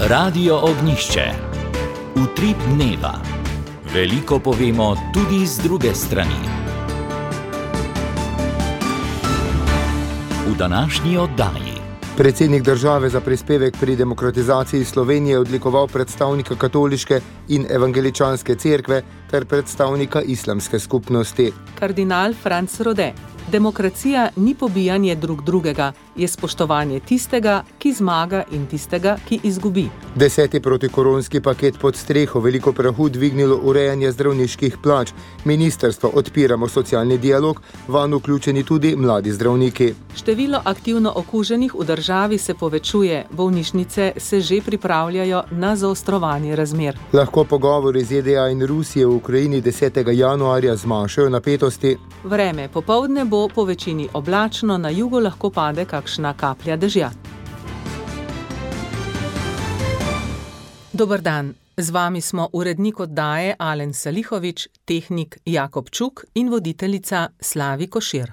Radio Ognjišče. Utrip dneva. Veliko povemo tudi z druge strani. V današnji oddaji. Predsednik države za prispevek pri demokratizaciji Slovenije odlikoval predstavnika katoliške in evangeličanske cerkve ter predstavnika islamske skupnosti. Kardinal Franc Rode. Demokracija ni pobijanje drug drugega, je spoštovanje tistega, ki zmaga in tistega, ki izgubi. 10. protikoronski paket pod streho veliko prahu dvignilo urejanje zdravniških plač. Ministrstvo odpiramo socialni dialog, vanj vključeni tudi mladi zdravniki. Število aktivno okuženih v državi se povečuje, bolnišnice se že pripravljajo na zaostrovanje razmer. Lahko pogovori ZDA in Rusije v Ukrajini 10. januarja zmanjšajo napetosti. Vreme popoldne bo po večini oblačno, na jugu lahko pade kakšna kaplja dežja. Dober dan, z vami smo urednik oddaje Alen Salihovič, tehnik Jakob Čuk in voditeljica Slavi Košir.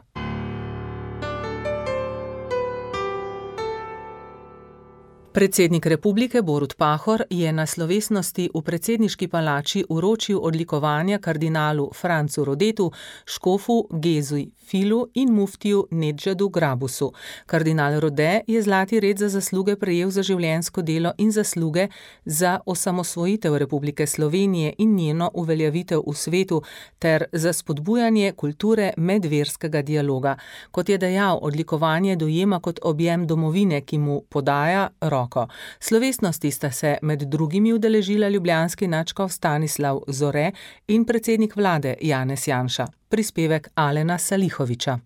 Predsednik republike Borut Pahor je na slovesnosti v predsedniški palači vročil odlikovanja kardinalu Francu Rodetu, škofu Gezuj Filu in muftiju Nedžadu Grabusu. Kardinal Rode je zlati red za zasluge prejel za življenjsko delo in zasluge za osamosvojitev Republike Slovenije in njeno uveljavitev v svetu ter za spodbujanje kulture medverskega dialoga. Kot je dejal, odlikovanje dojema kot objem domovine, ki mu podaja roko. Slovesnosti sta se med drugimi udeležila ljubljanski nadškof Stanislav Zore in predsednik vlade Janez Janša. Prispevek Alena Salihoviča.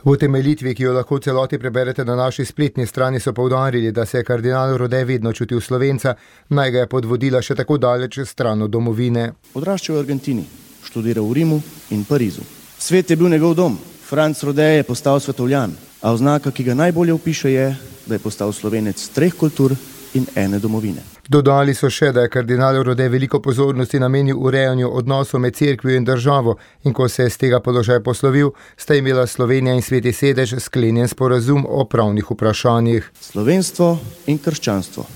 V utemeljitvi, ki jo lahko v celoti preberete na naši spletni strani, so poudarili, da se je kardinal Rode vedno čutil Slovenca, naj ga je podvodila še tako daleč stran od domovine. Odraščal v Argentini, študiral v Rimu in Parizu. Svet je bil njegov dom. Franc Rode je postal svetovljan, a oznaka, ki ga najbolje opiše, je, da je postal Slovenec 3 kultur in 1 domovine. Dodali so še, da je kardinal Rode veliko pozornosti namenil urejanju odnosov med cerkvijo in državo in ko se je z tega položaja poslovil, sta imela Slovenija in Sveti sedež sklenjen sporazum o pravnih vprašanjih. Slovenstvo in krščanstvo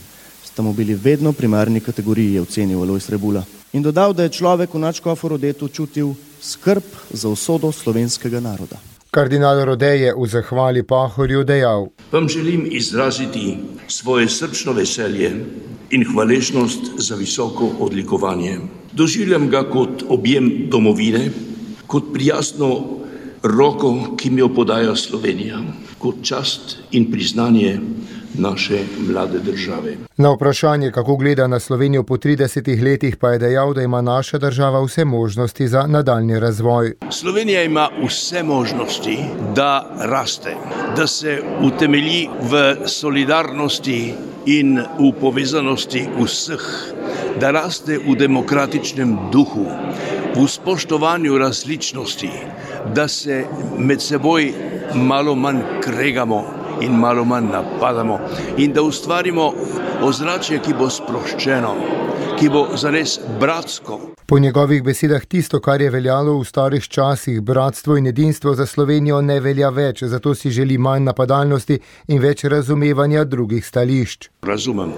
sta mu bili vedno primarni kategoriji, je ocenil Alojz Rebula. In dodal, da je človek v nadškofu Rodetu čutil skrb za usodo slovenskega naroda. Kardinal Rode je v zahvali Pahorju dejal: Vam želim izraziti svoje srčno veselje in hvaležnost za visoko odlikovanje. Doživljam ga kot objem domovine, kot prijazno roko, ki mi jo podaja Slovenija, kot čast in priznanje naše mlade države. Na vprašanje, kako gleda na Slovenijo po 30 letih, pa je dejal, da ima naša država vse možnosti za nadaljni razvoj. Slovenija ima vse možnosti, da raste, da se utemelji v solidarnosti in v povezanosti vseh, da raste v demokratičnem duhu, v spoštovanju različnosti, da se med seboj malo manj kregamo in malo manj napadamo in da ustvarimo ozračje, ki bo sproščeno, ki bo zares bratsko. Po njegovih besedah tisto, kar je veljalo v starih časih, bratstvo in edinstvo, za Slovenijo ne velja več, zato si želi manj napadalnosti in več razumevanja drugih stališč. Razumem,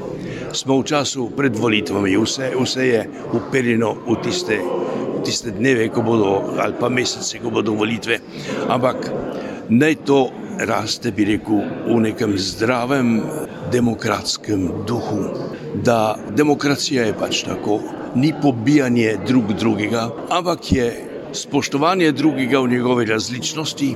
smo v času pred volitvami, vse je uperjeno v tiste dneve, ko bodo, ali pa mesece, ko bodo volitve, ampak naj to raste, bi rekel, v nekem zdravem demokratskem duhu, da demokracija je pač tako, ni pobijanje drug drugega, ampak je spoštovanje drugega v njegove različnosti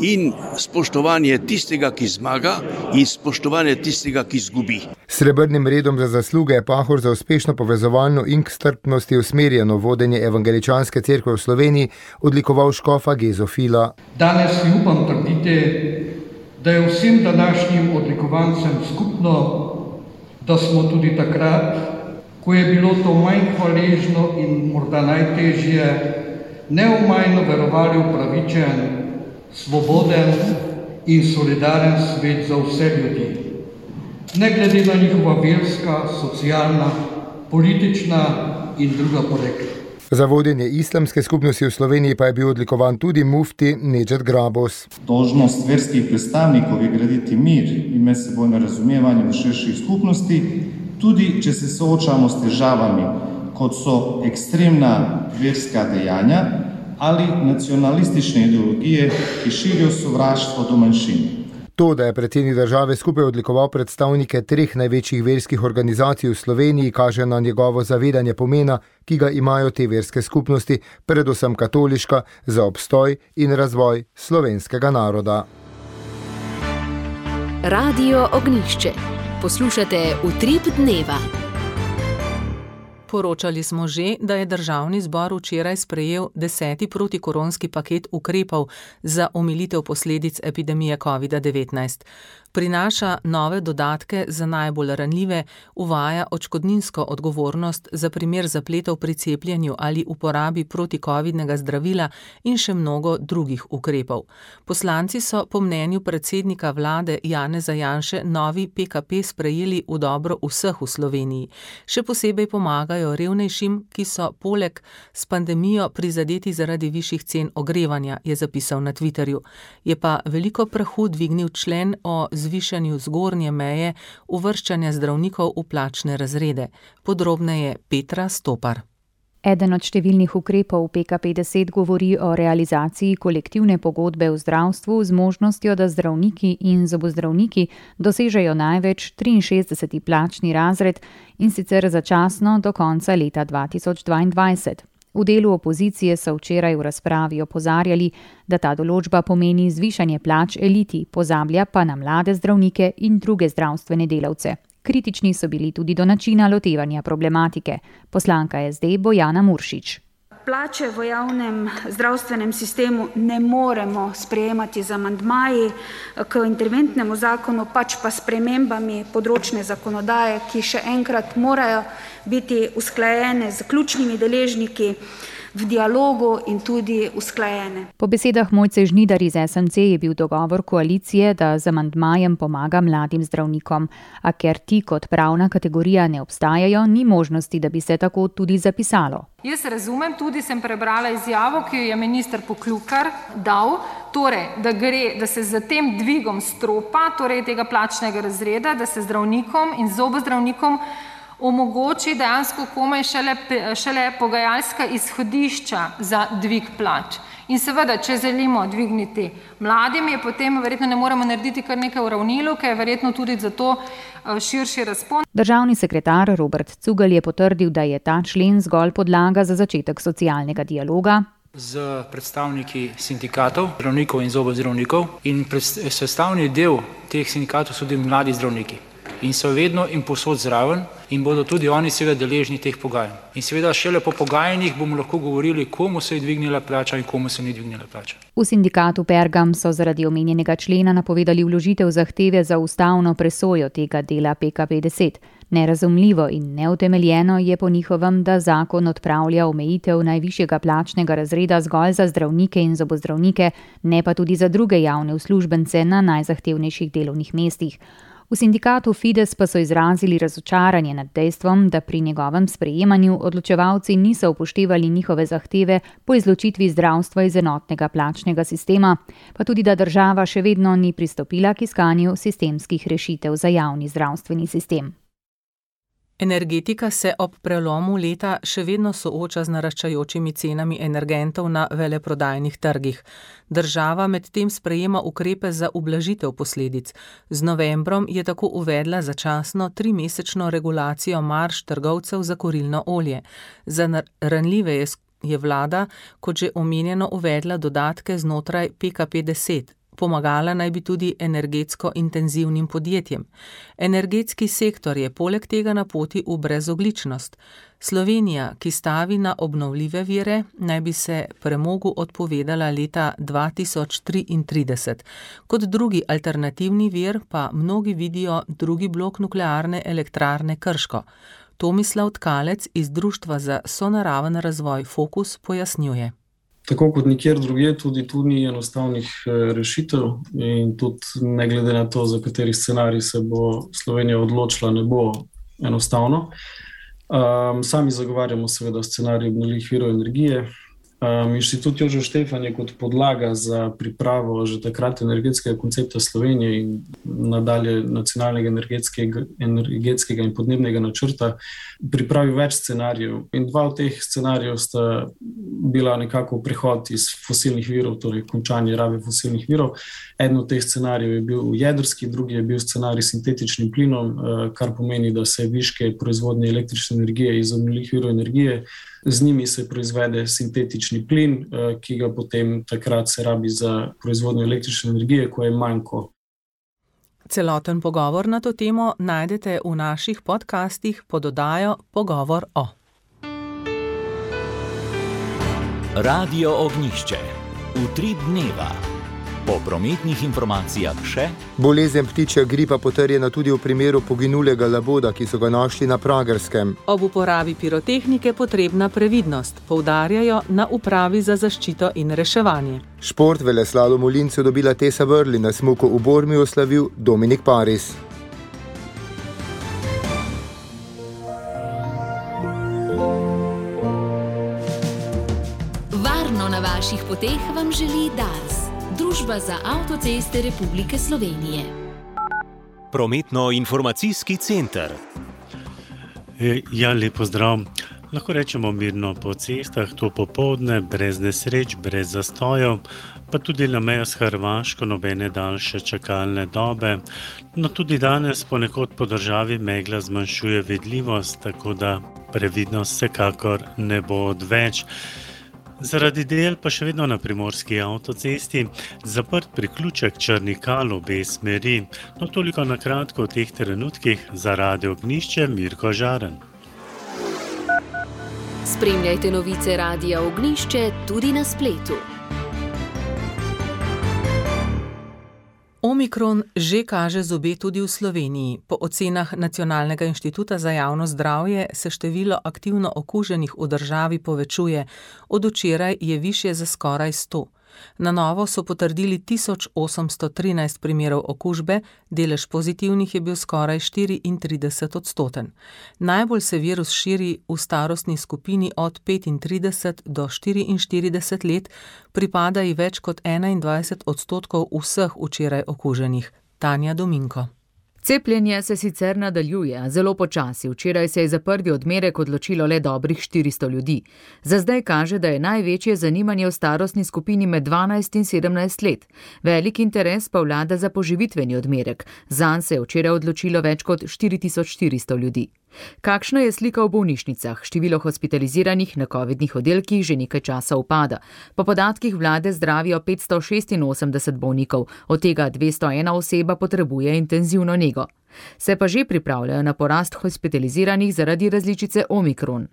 in spoštovanje tistega, ki zmaga in spoštovanje tistega, ki izgubi. Srebrnim redom za zasluge je Pahor za uspešno povezovalno in k strpnosti usmerjeno vodenje evangeličanske cerkve v Sloveniji odlikoval škofa Gezo Fila. Danes si upam trditi, da je vsem današnjim odlikovancem skupno, da smo tudi takrat, ko je bilo to manj hvaležno in morda najtežje, neomajno verovali v pravičen, svoboden in solidaren svet za vse ljudi. Ne glede na njihova verska, socialna, politična in druga porekla. Za vodenje islamske skupnosti v Sloveniji pa je bil odlikovan tudi mufti Nedžad Grabus. Dolžnost verskih predstavnikov je graditi mir in medsebojno razumevanje v širših skupnosti Tudi če se soočamo s težavami, kot so ekstremna verska dejanja ali nacionalistične ideologije, ki širijo sovraštvo do manjšin. To, da je predsednik države skupaj odlikoval predstavnike 3 največjih verskih organizacij v Sloveniji, kaže na njegovo zavedanje pomena, ki ga imajo te verske skupnosti, predvsem katoliška, za obstoj in razvoj slovenskega naroda. Radio Ognjišče. Poslušate Utrip dneva. Poročali smo že, da je Državni zbor včeraj sprejel 10. protikoronski paket ukrepov za omilitev posledic epidemije COVID-19. Prinaša nove dodatke za najbolj ranljive, uvaja odškodninsko odgovornost za primer zapletov pri cepljenju ali uporabi protikovidnega zdravila in še mnogo drugih ukrepov. Poslanci so po mnenju predsednika vlade Janeza Janše novi PKP sprejeli v dobro vseh v Sloveniji. Še posebej pomagajo revnejšim, ki so poleg s pandemijo prizadeti zaradi višjih cen ogrevanja, je zapisal na Twitterju. Je pa veliko prahu dvignil člen o zvišanju zgornje meje uvrščanja zdravnikov v plačne razrede. Podrobneje Petra Stopar. Eden od številnih ukrepov PKP10 govori o realizaciji kolektivne pogodbe v zdravstvu z možnostjo, da zdravniki in zobozdravniki dosežejo največ 63. plačni razred in sicer začasno do konca leta 2022. V delu opozicije so včeraj v razpravi opozarjali, da ta določba pomeni zvišanje plač eliti, pozablja pa na mlade zdravnike in druge zdravstvene delavce. Kritični so bili tudi do načina lotevanja problematike. Poslanka SD Bojana Muršič. Plače v javnem zdravstvenem sistemu ne moremo sprejemati z amandmaji k interventnemu zakonu, pač pa s spremembami področne zakonodaje, ki še enkrat morajo biti usklajene z ključnimi deležniki v dialogu in tudi usklajene. Po besedah Mojce Žnidar iz SMC je bil dogovor koalicije, da z amandmajem pomaga mladim zdravnikom, a ker ti kot pravna kategorija ne obstajajo, ni možnosti, da bi se tako tudi zapisalo. Jaz razumem, tudi sem prebrala izjavo, ki jo je minister Poklukar dal, torej, da se z tem dvigom stropa, torej tega plačnega razreda, da se zdravnikom in zobozdravnikom omogoči dejansko komaj šele pogajalska izhodišča za dvig plač. In seveda, če želimo dvigniti mladim, je potem verjetno ne moremo narediti kar nekaj uravnilovke, je verjetno tudi za to širši razpon. Državni sekretar Robert Cugelj je potrdil, da je ta člen zgolj podlaga za začetek socialnega dialoga z predstavniki sindikatov, zdravnikov in zobozdravnikov, in sestavni del teh sindikatov so tudi mladi zdravniki. In so vedno in povsod zraven in bodo tudi oni seveda deležni teh pogajanj. In seveda šele po pogajanjih bomo lahko govorili, komu se je dvignila plača in komu se ni dvignila plača. V sindikatu Pergam so zaradi omenjenega člena napovedali vložitev zahteve za ustavno presojo tega dela PKP10. Nerazumljivo in neutemeljeno je po njihovem, da zakon odpravlja omejitev najvišjega plačnega razreda zgolj za zdravnike in zobozdravnike, ne pa tudi za druge javne uslužbence na najzahtevnejših delovnih mestih. V sindikatu Fides pa so izrazili razočaranje nad dejstvom, da pri njegovem sprejemanju odločevalci niso upoštevali njihove zahteve po izločitvi zdravstva iz enotnega plačnega sistema, pa tudi da država še vedno ni pristopila k iskanju sistemskih rešitev za javni zdravstveni sistem. Energetika se ob prelomu leta še vedno sooča z naraščajočimi cenami energentov na veleprodajnih trgih. Država medtem sprejema ukrepe za ublažitev posledic. Z novembrom je tako uvedla začasno 3-mesečno regulacijo marž trgovcev za kurilno olje. Za ranljive je vlada, kot že omenjeno, uvedla dodatke znotraj PKP10. Pomagala naj bi tudi energetsko intenzivnim podjetjem. Energetski sektor je poleg tega na poti v brezogličnost. Slovenija, ki stavi na obnovljive vire, naj bi se premogu odpovedala leta 2033. Kot drugi alternativni vir pa mnogi vidijo drugi blok nuklearne elektrarne Krško. Tomislav Tkalec iz Društva za sonaraven razvoj Fokus pojasnjuje. Tako kot nikjer drugje, tudi tu ni enostavnih rešitev in tudi ne glede na to, za kateri scenarij se bo Slovenija odločila, ne bo enostavno. Sami zagovarjamo seveda scenarij obnovljivih virov energije, Inštitut Jožef Štefan je kot podlaga za pripravo že takrat energetskega koncepta Slovenije in nadalje nacionalnega energetskega in podnebnega načrta pripravil več scenarijev. In dva od teh scenarijev sta bila nekako prehod iz fosilnih virov, torej končanje rabe fosilnih virov. Eden od teh scenarijev je bil jedrski, drugi je bil scenarij s sintetičnim plinom, kar pomeni, da se viške proizvodnje električne energije iz obnovljivih virov energije, z njimi se proizvede sintetični plin, ki ga potem takrat se rabi za proizvodnjo električne energije, ko je manjko. Celoten pogovor na to temo najdete v naših podcastih pod oddajo Pogovor o. Radio Ognjišče. Utrip dneva. Po prometnih informacijah še. Bolezen ptičja gripa potrjena tudi v primeru poginulega laboda, ki so ga našli na Pragerskem. Ob uporabi pirotehnike potrebna previdnost, poudarjajo na Upravi za zaščito in reševanje. Šport veleslalom v Lincu dobila Tessa Worley, na smuku v Bormiju slavil Dominik Paris. Varno na vaših poteh vam želi Dars. Družba za avtoceste Republike Slovenije. Prometno-informacijski center. Lep pozdrav. Lahko rečemo mirno po cestah, to popoldne, brez nesreč, brez zastojev, pa tudi na mejo s Hrvaško nobene daljše čakalne dobe. No tudi danes ponekod po državi megla zmanjšuje vidljivost, tako da previdnost vsekakor ne bo odveč. Zaradi del pa še vedno na primorski avtocesti zaprt priključek Črnikal obe smeri. No toliko na kratko v teh trenutkih. Za Radio Ognjišče Mirko Žaren. Spremljajte novice Radia Ognjišče tudi na spletu. Omikron že kaže zobe tudi v Sloveniji. Po ocenah Nacionalnega inštituta za javno zdravje se število aktivno okuženih v državi povečuje. Od včeraj je višje za skoraj 100. Na novo so potrdili 1813 primerov okužbe, delež pozitivnih je bil skoraj 34%. Najbolj se virus širi v starostni skupini od 35 do 44 let, pripada ji več kot 21% vseh včeraj okuženih. Tanja Dominko. Cepljenje se sicer nadaljuje, zelo počasi. Včeraj se je za prvi odmerek odločilo le dobrih 400 ljudi. Za zdaj kaže, da je največje zanimanje v starostni skupini med 12 in 17 let. Velik interes pa vlada za poživitveni odmerek. Zanj se je včeraj odločilo več kot 4400 ljudi. Kakšna je slika v bolnišnicah? Število hospitaliziranih na covidnih oddelkih že nekaj časa upada. Po podatkih vlade zdravijo 586 bolnikov, od tega 201 oseba potrebuje intenzivno nego. Se pa že pripravljajo na porast hospitaliziranih zaradi različice Omikron.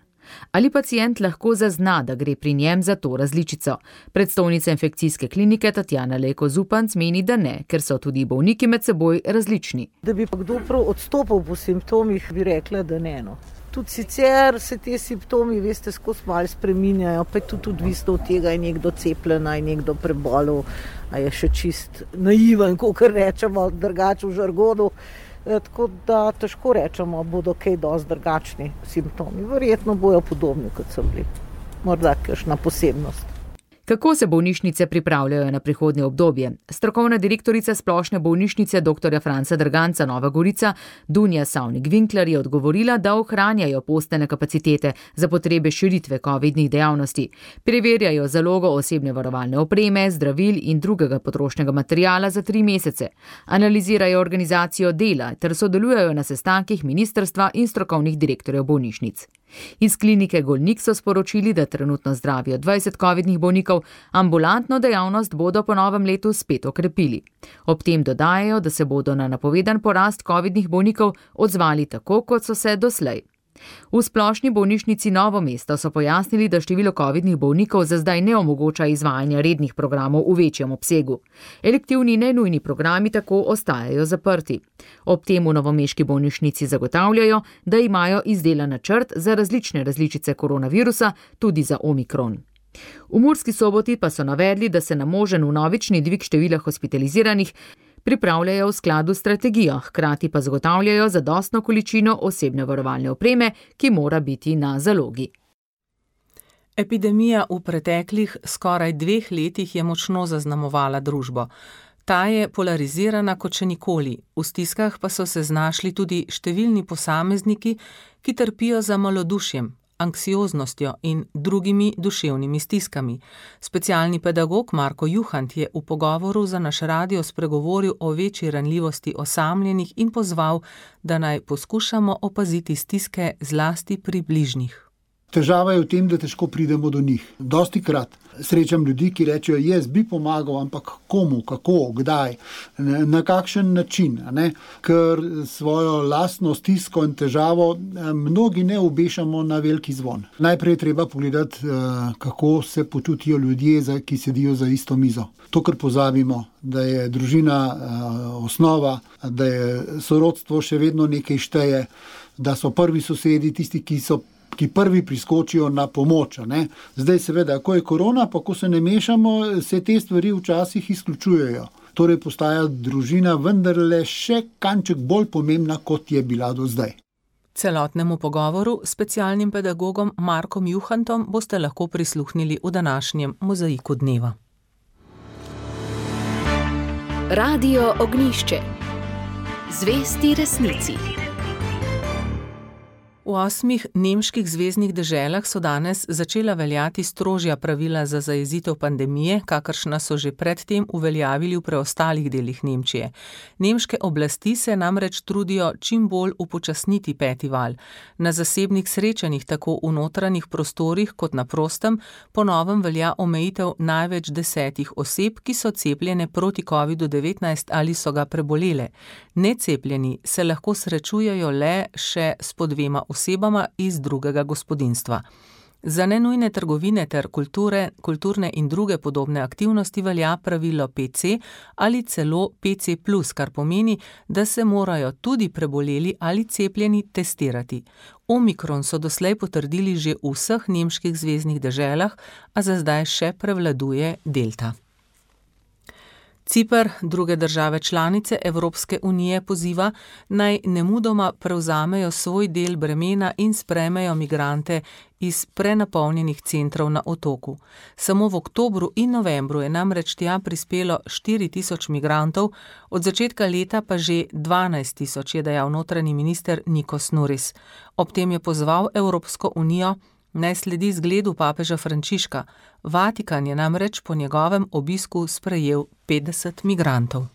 Ali pacient lahko zazna, da gre pri njem za to različico? Predstojnica infekcijske klinike Tatjana Lejko Zupanc meni, da ne, ker so tudi bolniki med seboj različni. Da bi pa kdo prav odstopil po simptomih, bi rekla, da ne. No. Tudi sicer se te simptomi, veste, skozi malo spreminjajo, pa je tudi odvisno od tega, je nekdo cepljen, je nekdo prebolel, a je še čist naiven, kakor rečemo, drugače v žargonu. Tako da težko rečemo, bodo kaj dosti drugačni simptomi. Verjetno bojo podobni, kot so bili. Morda kakšna posebnost. Kako se bolnišnice pripravljajo na prihodnje obdobje? Strokovna direktorica splošne bolnišnice dr. Franca Drganca Nova Gorica Dunja Savnik-Vinkler je odgovorila, da ohranjajo postelne kapacitete za potrebe širitve covidnih dejavnosti. Preverjajo zalogo osebne varovalne opreme, zdravil in drugega potrošnega materiala za 3 mesece. Analizirajo organizacijo dela ter sodelujejo na sestankih ministrstva in strokovnih direktorjev bolnišnic. Iz klinike Golnik so sporočili, da trenutno zdravijo 20 covidnih bolnikov, ambulantno dejavnost bodo po novem letu spet okrepili. Ob tem dodajajo, da se bodo na napovedan porast covidnih bolnikov odzvali tako, kot so se doslej. V splošni bolnišnici Novo mesto so pojasnili, da število covidnih bolnikov za zdaj ne omogoča izvajanja rednih programov v večjem obsegu. Elektivni nenujni programi tako ostajajo zaprti. Ob tem v novomeški bolnišnici zagotavljajo, da imajo izdelan načrt za različne različice koronavirusa, tudi za Omikron. V Murski Soboti pa so navedli, da se na možen vnovični dvig števila hospitaliziranih pripravljajo v skladu s strategijo, hkrati pa zagotavljajo zadostno količino osebne varovalne opreme, ki mora biti na zalogi. Epidemija v preteklih skoraj 2 letih je močno zaznamovala družbo. Ta je polarizirana kot še nikoli, v stiskah pa so se znašli tudi številni posamezniki, ki trpijo za malodušjem, anksioznostjo in drugimi duševnimi stiskami. Specialni pedagog Marko Juhant je v pogovoru za naš radio spregovoril o večji ranljivosti osamljenih in pozval, da naj poskušamo opaziti stiske zlasti pri bližnjih. Težava je v tem, da težko pridemo do njih. Dostikrat srečam ljudi, ki rečejo, jaz bi pomagal, ampak komu, kako, kdaj, na kakšen način, ne? Ker svojo lastno stisko in težavo mnogi ne obešamo na veliki zvon. Najprej je treba pogledati, kako se počutijo ljudje, ki sedijo za isto mizo. To, kar pozabimo, da je družina osnova, da je sorodstvo še vedno nekaj šteje, da so prvi sosedi tisti, ki prvi priskočijo na pomoč. Ne? Zdaj seveda, ko je korona, pa ko se ne mešamo, se te stvari včasih izključujejo. Torej postaja družina vendarle še kanček bolj pomembna, kot je bila do zdaj. Celotnemu pogovoru s specialnim pedagogom Markom Juhantom boste lahko prisluhnili v današnjem Mozaiku dneva. Radio Ognjišče. Zvesti resnici. V 8 nemških zveznih deželah so danes začela veljati strožja pravila za zajezitev pandemije, kakršna so že predtem uveljavili v preostalih delih Nemčije. Nemške oblasti se namreč trudijo čim bolj upočasniti 5. val. Na zasebnih srečanjih, tako v notranjih prostorih kot na prostem, po novem velja omejitev največ 10 oseb, ki so cepljene proti COVID-19 ali so ga prebolele. Necepljeni se lahko srečujejo le še s po 2 osebama iz drugega gospodinjstva. Za nenujne trgovine ter kulturne in druge podobne aktivnosti velja pravilo PC ali celo PC+, kar pomeni, da se morajo tudi preboleli ali cepljeni testirati. Omikron so doslej potrdili že v vseh nemških zveznih deželah, a za zdaj še prevladuje delta. Ciper, druge države članice Evropske unije poziva, naj nemudoma prevzamejo svoj del bremena in sprejmejo migrante iz prenapolnjenih centrov na otoku. Samo v oktobru in novembru je namreč tja prispelo 4.000 migrantov, od začetka leta pa že 12.000, je dejal notranji minister Nikos Nouris. Ob tem je pozval Evropsko unijo, naj sledi zgledu papeža Frančiška. Vatikan je namreč po njegovem obisku sprejel 50 migrantov.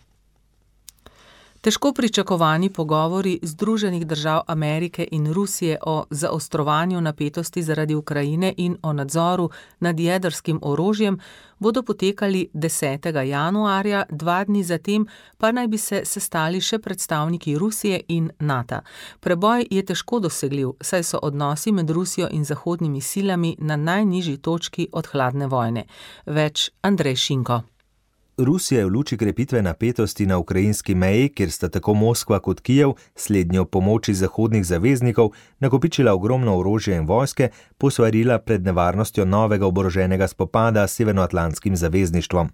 Težko pričakovani pogovori Združenih držav Amerike in Rusije o zaostrovanju napetosti zaradi Ukrajine in o nadzoru nad jedrskim orožjem bodo potekali 10. januarja, 2 dni zatem pa naj bi se sestali še predstavniki Rusije in NATO. Preboj je težko dosegljiv, saj so odnosi med Rusijo in zahodnimi silami na najnižji točki od hladne vojne. Več Andrej Šinko. Rusija je v luči krepitve napetosti na ukrajinski meji, kjer sta tako Moskva kot Kijev, slednji ob pomoči zahodnih zaveznikov, nakopičila ogromno orožja in vojske, posvarila pred nevarnostjo novega oboroženega spopada s Severnoatlantskim zavezništvom.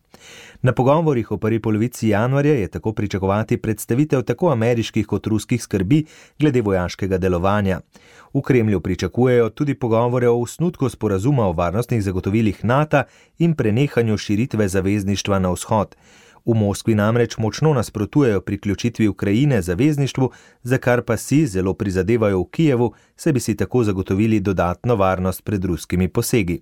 Na pogovorih v prvi polovici januarja je tako pričakovati predstavitev tako ameriških kot ruskih skrbi glede vojaškega delovanja. V Kremlju pričakujejo tudi pogovore o osnutku sporazuma o varnostnih zagotovilih NATO in prenehanju širitve zavezništva na vzhod. V Moskvi namreč močno nasprotujejo priključitvi Ukrajine zavezništvu, za kar pa si zelo prizadevajo v Kijevu, saj bi si tako zagotovili dodatno varnost pred ruskimi posegi.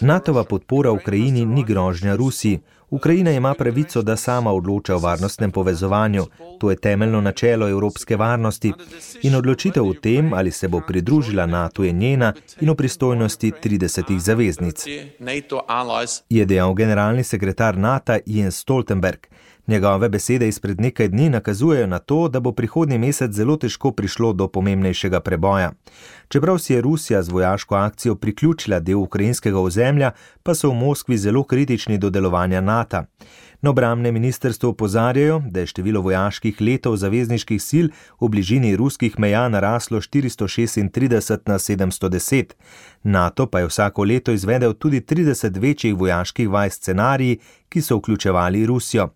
NATO-va podpora Ukrajini ni grožnja Rusiji. Ukrajina ima pravico, da sama odloča o varnostnem povezovanju. To je temeljno načelo evropske varnosti in odločitev o tem, ali se bo pridružila NATO, je njena in v pristojnosti 30 zaveznic, je dejal generalni sekretar NATO Jens Stoltenberg. Njegove besede izpred nekaj dni nakazujejo na to, da bo prihodnji mesec zelo težko prišlo do pomembnejšega preboja. Čeprav si je Rusija z vojaško akcijo priključila del ukrajinskega ozemlja, pa so v Moskvi zelo kritični do delovanja NATO. Na obrambnem ministrstvu opozarjajo, da je število vojaških letov zavezniških sil v bližini ruskih meja naraslo 436 na 710. NATO pa je vsako leto izvedel tudi 30 večjih vojaških vaj scenariji, ki so vključevali Rusijo.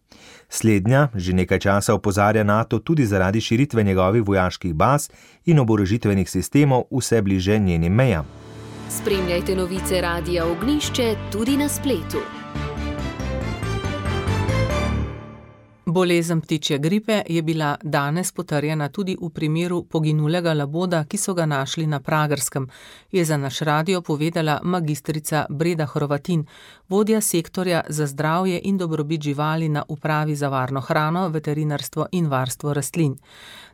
Slednja že nekaj časa opozarja NATO tudi zaradi širitve njegovih vojaških baz in oborožitvenih sistemov vse bliže njenim mejam. Spremljajte novice Radia Ognjišče tudi na spletu. Bolezen ptičje gripe je bila danes potrjena tudi v primeru poginulega laboda, ki so ga našli na Pragerskem, je za naš radio povedala magistrica Breda Hrovatin, vodja sektorja za zdravje in dobrobit živali na Upravi za varno hrano, veterinarstvo in varstvo rastlin.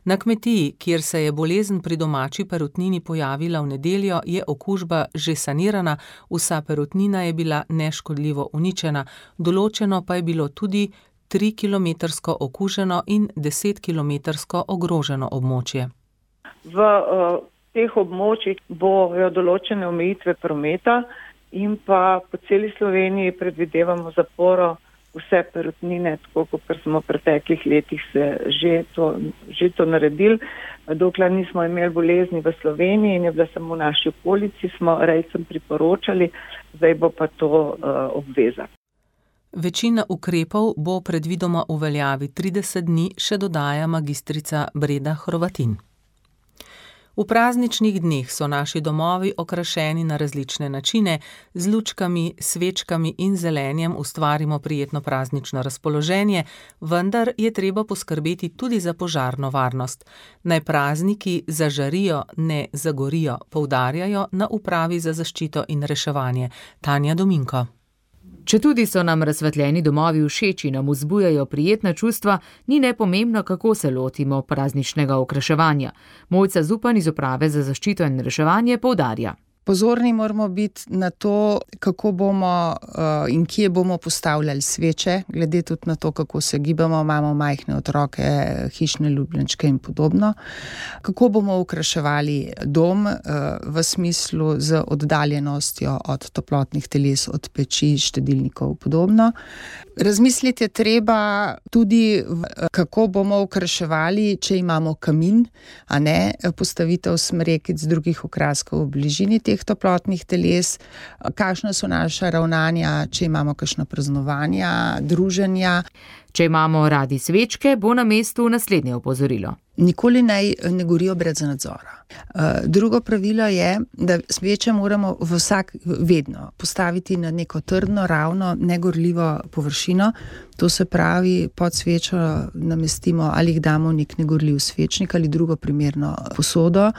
Na kmetiji, kjer se je bolezen pri domači perutnini pojavila v nedeljo, je okužba že sanirana, vsa perutnina je bila neškodljivo uničena, določeno pa je bilo tudi 3-kilometrsko okuženo in 10-kilometrsko ogroženo območje. V teh območjih bojo določene omejitve prometa in pa po celi Sloveniji predvidevamo zaporo vse perutnine, tako kot smo v preteklih letih se že to naredili. Dokler nismo imeli bolezni v Sloveniji in je bila samo v naši okolici, smo rejcem priporočali, zdaj bo pa to obveza. Večina ukrepov bo predvidoma v veljavi 30 dni, še dodaja magistrica Breda Hrovatin. V prazničnih dneh so naši domovi okrašeni na različne načine, z lučkami, svečkami in zelenjem ustvarimo prijetno praznično razpoloženje, vendar je treba poskrbeti tudi za požarno varnost. Naj prazniki zažarijo, ne zagorijo, poudarjajo na Upravi za zaščito in reševanje. Tanja Dominko. Četudi so nam razsvetljeni domovi všeči, nam vzbujajo prijetna čustva, ni nepomembno, kako se lotimo prazničnega okraševanja. Mojca Zupan iz Uprave za zaščito in reševanje poudarja. Pozorni moramo biti na to, kako bomo in kje bomo postavljali sveče, glede tudi na to, kako se gibamo, imamo majhne otroke, hišne ljubljenčke in podobno. Kako bomo okraševali dom v smislu z oddaljenostjo od toplotnih teles, od peči, štedilnikov in podobno. Razmisliti je treba tudi, kako bomo okraševali, če imamo kamin, a ne postavitev smrekic drugih okraskov v bližini teh toplotnih teles, kakšna so naša ravnanja, če imamo kakšna praznovanja, druženja. Če imamo radi svečke, bo na mestu naslednje opozorilo. Nikoli naj ne gorijo brez nadzora. Drugo pravilo je, da sveče moramo vedno postaviti na neko trdno, ravno, negorljivo površino. To se pravi, pod svečo namestimo ali jih damo v nek negorljiv svečnik ali drugo primerno posodo,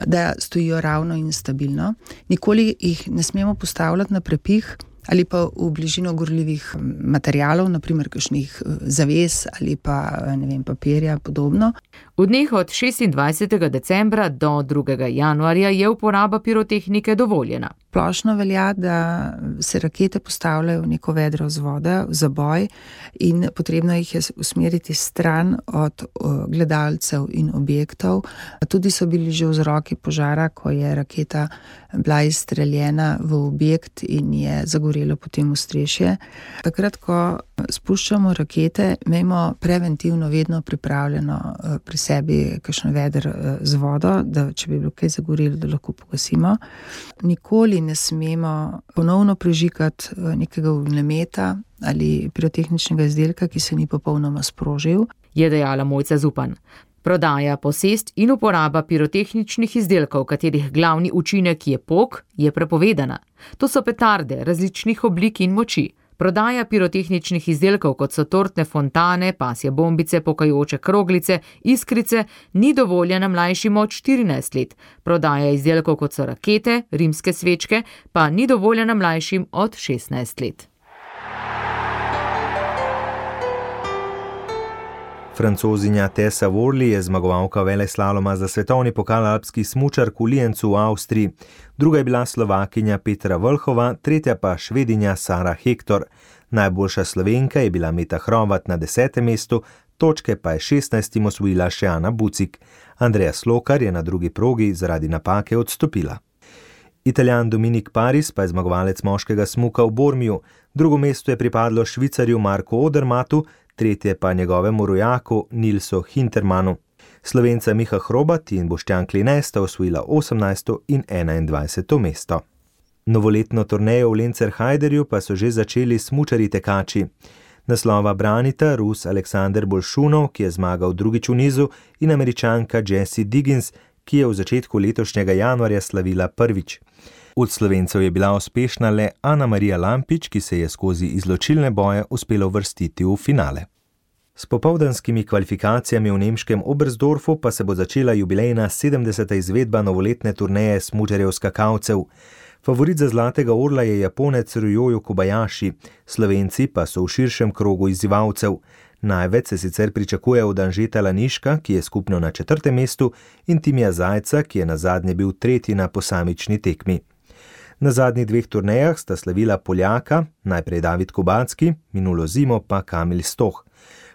da stojijo ravno in stabilno. Nikoli jih ne smemo postavljati na prepih ali pa v bližino gorljivih materialov, naprimer kakšnih zaves ali pa, papirja, podobno. V dneh od 26. decembra do 2. januarja je uporaba pirotehnike dovoljena. Splošno velja, da se rakete postavljajo v neko vedro vzvoda, v zaboj in potrebno jih je usmeriti stran od gledalcev in objektov. Tudi so bili že vzroki požara, ko je raketa bila izstreljena v objekt in je zagorelo potem ostrešje. Takrat, ko spuščamo rakete, imamo preventivno vedno pripravljeno pri sebi kakšno veder z vodo, da če bi bilo kaj zagorelo, da lahko pogasimo. Nikoli ne smemo ponovno prižigati nekega ognjemeta ali pirotehničnega izdelka, ki se ni popolnoma sprožil, je dejala Mojca Zupan. Prodaja, posest in uporaba pirotehničnih izdelkov, katerih glavni učinek je pok, je prepovedana. To so petarde različnih oblik in moči. Prodaja pirotehničnih izdelkov, kot so tortne fontane, pasje bombice, pokajoče kroglice, iskrice, ni dovoljena mlajšim od 14 let. Prodaja izdelkov, kot so rakete, rimske svečke, pa ni dovoljena mlajšim od 16 let. Francozinja Tessa Worley je zmagovalka veleslaloma za svetovni pokal alpskih smučark v Liencu v Avstriji. Druga je bila Slovakinja Petra Vlhova, tretja pa Švedinja Sara Hektor. Najboljša Slovenka je bila Meta Hrovat na 10. mestu, točke pa je 16. osvojila še Ana Bucik. Andreja Slokar je na drugi progi zaradi napake odstopila. Italijan Dominik Paris pa je zmagovalec moškega smuka v Bormiju. Drugo mesto je pripadlo Švicarju Marku Odermatu, tretje pa njegovemu rojaku Nilsu Hintermanu. Slovenca Miha Hrobat in Boštjan Kline sta osvojila 18. in 21. mesto. Novoletno turnejo v Lencerhajderju pa so že začeli smučarji tekači. Naslova branita Rus Aleksander Bolšunov, ki je zmagal drugič v nizu, in Američanka Jessie Diggins, ki je v začetku letošnjega januarja slavila prvič. Od Slovencev je bila uspešna le Ana Marija Lampič, ki se je skozi izločilne boje uspela uvrstiti v finale. S popoldanskimi kvalifikacijami v nemškem Oberstdorfu pa se bo začela jubilejna 70. izvedba novoletne turneje smučarjev skakalcev. Favorit za zlatega orla je Japonec Ryoyo Kobayashi, Slovenci pa so v širšem krogu izzivalcev. Največ se sicer pričakuje od Anžeta Laniška, ki je skupno na 4. mestu, in Timija Zajca, ki je nazadnje bil 3. na posamični tekmi. Na zadnjih 2 turnejah sta slavila Poljaka, najprej David Kubacki, minulo zimo pa Kamil Stoh.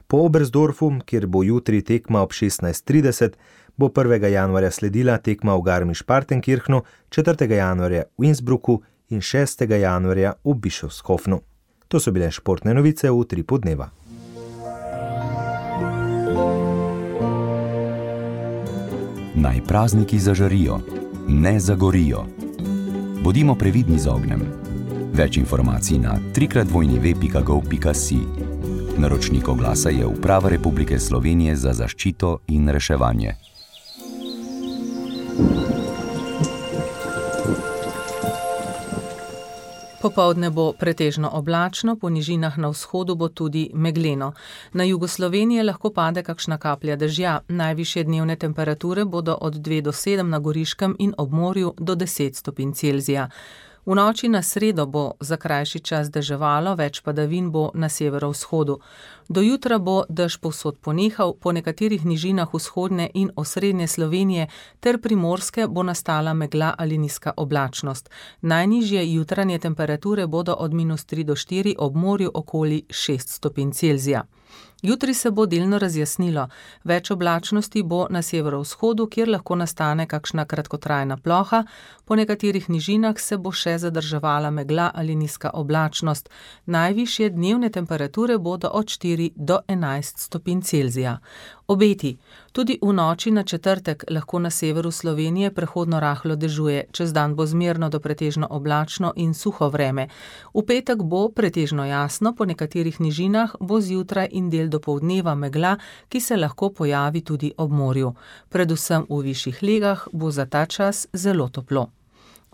Po Oberstdorfu, kjer bo jutri tekma ob 16:30, bo 1. januarja sledila tekma v Garmisch-Partenkirchenu, 4. januarja v Innsbrucku in 6. januarja v Bischofshofenu. To so bile športne novice v Utripu dneva. Naj prazniki zažarijo, ne zagorijo. Bodimo previdni z ognjem. Več informacij na www.gov.si. Naročnik oglasa je Uprava Republike Slovenije za zaščito in reševanje. Popoldne bo pretežno oblačno, po nižinah na vzhodu bo tudi megleno. Na jugu Slovenije lahko pade kakšna kaplja dežja. Najvišje dnevne temperature bodo od 2 do 7 na Goriškem in ob morju do 10 stopinj Celzija. V noči na sredo bo za krajši čas deževalo, več padavin bo na severovzhodu. Do jutra bo dež povsod ponehal, po nekaterih nižinah vzhodne in osrednje Slovenije ter primorske bo nastala megla ali nizka oblačnost. Najnižje jutranje temperature bodo od -3 do 4, ob morju okoli 6 stopinj Celzija. Jutri se bo delno razjasnilo, več oblačnosti bo na severovzhodu, kjer lahko nastane kakšna kratkotrajna ploha, po nekaterih nižinah se bo še zadrževala megla ali nizka oblačnost. Najvišje dnevne temperature bodo od 4 do 11 stopinj Celzija. Obeti. Tudi v noči na četrtek lahko na severu Slovenije prehodno rahlo dežuje, čez dan bo zmerno do pretežno oblačno in suho vreme. V petek bo pretežno jasno, po nekaterih nižinah bo zjutraj in del dopoldneva megla, ki se lahko pojavi tudi ob morju. Predvsem v višjih legah bo za ta čas zelo toplo.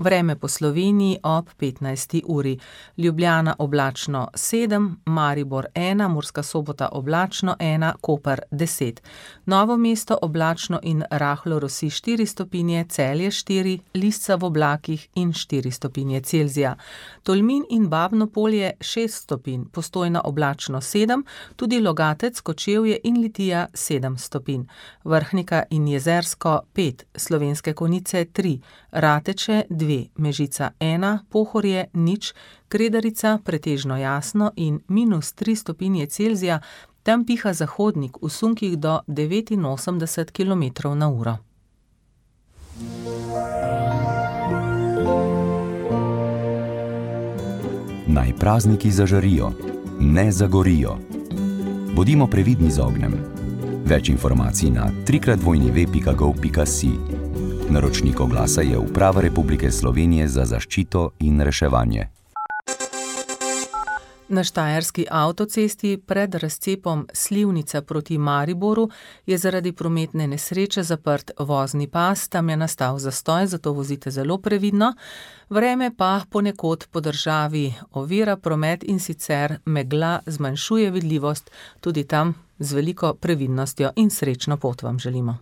Vreme po Sloveniji ob 15. uri. Ljubljana oblačno 7, Maribor 1, Murska Sobota oblačno 1, Koper 10. Novo Mesto oblačno in rahlo rosi 4 stopinje, Celje 4, Lisca v oblakih in 4 stopinje Celzija. Tolmin in Babno Polje 6 stopinj, Postojna oblačno 7, tudi Logatec, Kočevje in Litija 7 stopinj. Vrhnika in Jezersko 5, Slovenske Konjice 3, Rateče 2, Mežica 1, Pohorje 0, Kredarica pretežno jasno in -3 stopinje Celzija, tam piha zahodnik v sunkih do 89 km/h. Naj prazniki zažarijo, ne zagorijo. Bodimo previdni z ognjem. Več informacij na www.gov.si. Naročnik oglasa je Uprava Republike Slovenije za zaščito in reševanje. Na štajerski avtocesti pred razcepom Slivnica proti Mariboru je zaradi prometne nesreče zaprt vozni pas, tam je nastal zastoj, zato vozite zelo previdno. Vreme pa ponekod po državi ovira promet in sicer megla zmanjšuje vidljivost, tudi tam z veliko previdnostjo in srečno pot vam želimo.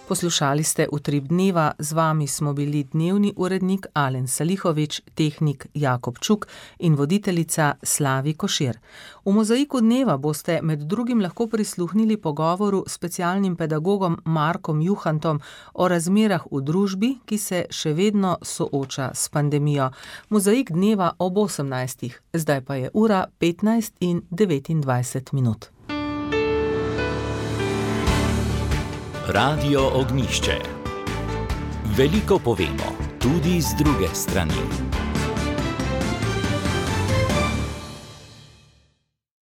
Poslušali ste Utrip dneva, z vami smo bili dnevni urednik Alen Salihovič, tehnik Jakob Čuk in voditeljica Slavi Košir. V Mozaiku dneva boste med drugim lahko prisluhnili pogovoru s specialnim pedagogom Markom Juhantom o razmerah v družbi, ki se še vedno sooča s pandemijo. Mozaik dneva ob 18. Zdaj pa je ura 15:29. Radio Ognjišče. Veliko povemo, tudi z druge strani.